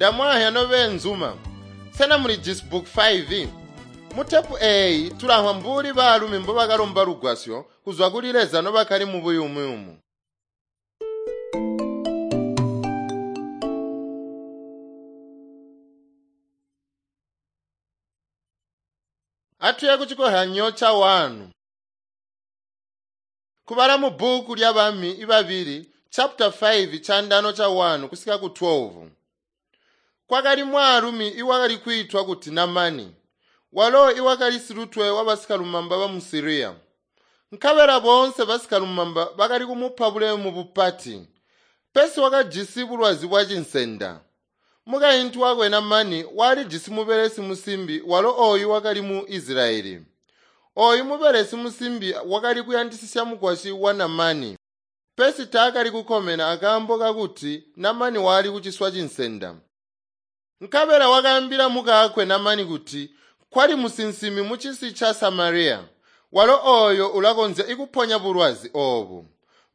Ndamwahya nobeenzuma. Sena mulijisi book 5? Mutepu eeyi tulamvwa mbuli baalumi mbobakalomba lugwasyo kuzwa kuli Leza nobakali mubuyumuyumu. Atuye kuchikohanyo cha 1. Kubala mu bhuku lya bami ibabili chapter 5 chandano cha 1 kusika ku 12. Kwakali mwaalumi iwakali kwiitwa kuti Namani, walo iwakali silutwe wa basikalumamba ba mu Siriya. Nkabela boonse basikalumamba bakali kumupa bulemu bupati, pesi wakajisi bulwazi bwa cinsenda. Mukaintu wakwe Namani walijisi mubelesi musimbi walo ooyu wakali mu Isilayeli. Ooyu mubelesi musimbi wakali kuyandisisya mukwasyi wa Namani, pesi taakali kukomena akaambo kakuti Namani wali kuciswa cinsenda. Nkabela wakaambila mukaakwe Namani kuti kwali musinsimi mucisi ca Samariya, walo ooyo ulakonzya ikuponya bulwazi oobu.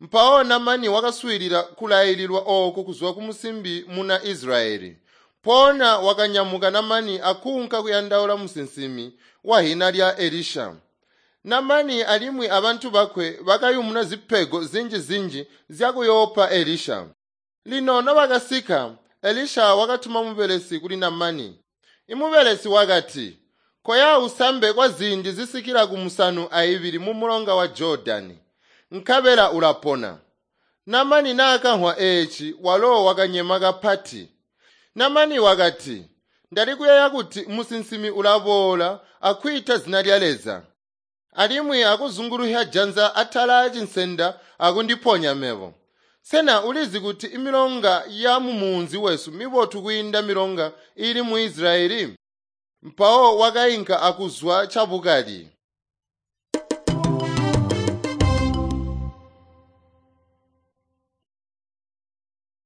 Mpawo Namani wakaswiilila kulaililwa ooku kuzwa kumusimbi muna Isilayeli. Mpoona wakanyamuka Namani akuunka kuyandaula musinsimi wahina lya Elisha. Namani alimwi abantu bakwe bakayumuna zipego zinji-zinji zyakuyoopa Elisha. Lino nobakasika, Elisha wakatuma mubelesi kuli Namani. Imubelesi wakati, “Koya usambe kwa ziindi zisikila ku 70 mumulonga wa Jodani, nkabela ulapona.” Namani naakamvwa eeci walo wakanyema kapati. Namani wakati, “Ndali kuyeeya kuti musinsimi ulaboola akwiita zina lya Leza, alimwi akuzunguluhya janza atala acinsenda akundiponya mebo. Sena ulizi kuti imilonga ya mumunzi wesu mibotu kwiinda milonga iili mu Isilayeli?” Mpawo wakainka akuzwa cabukali.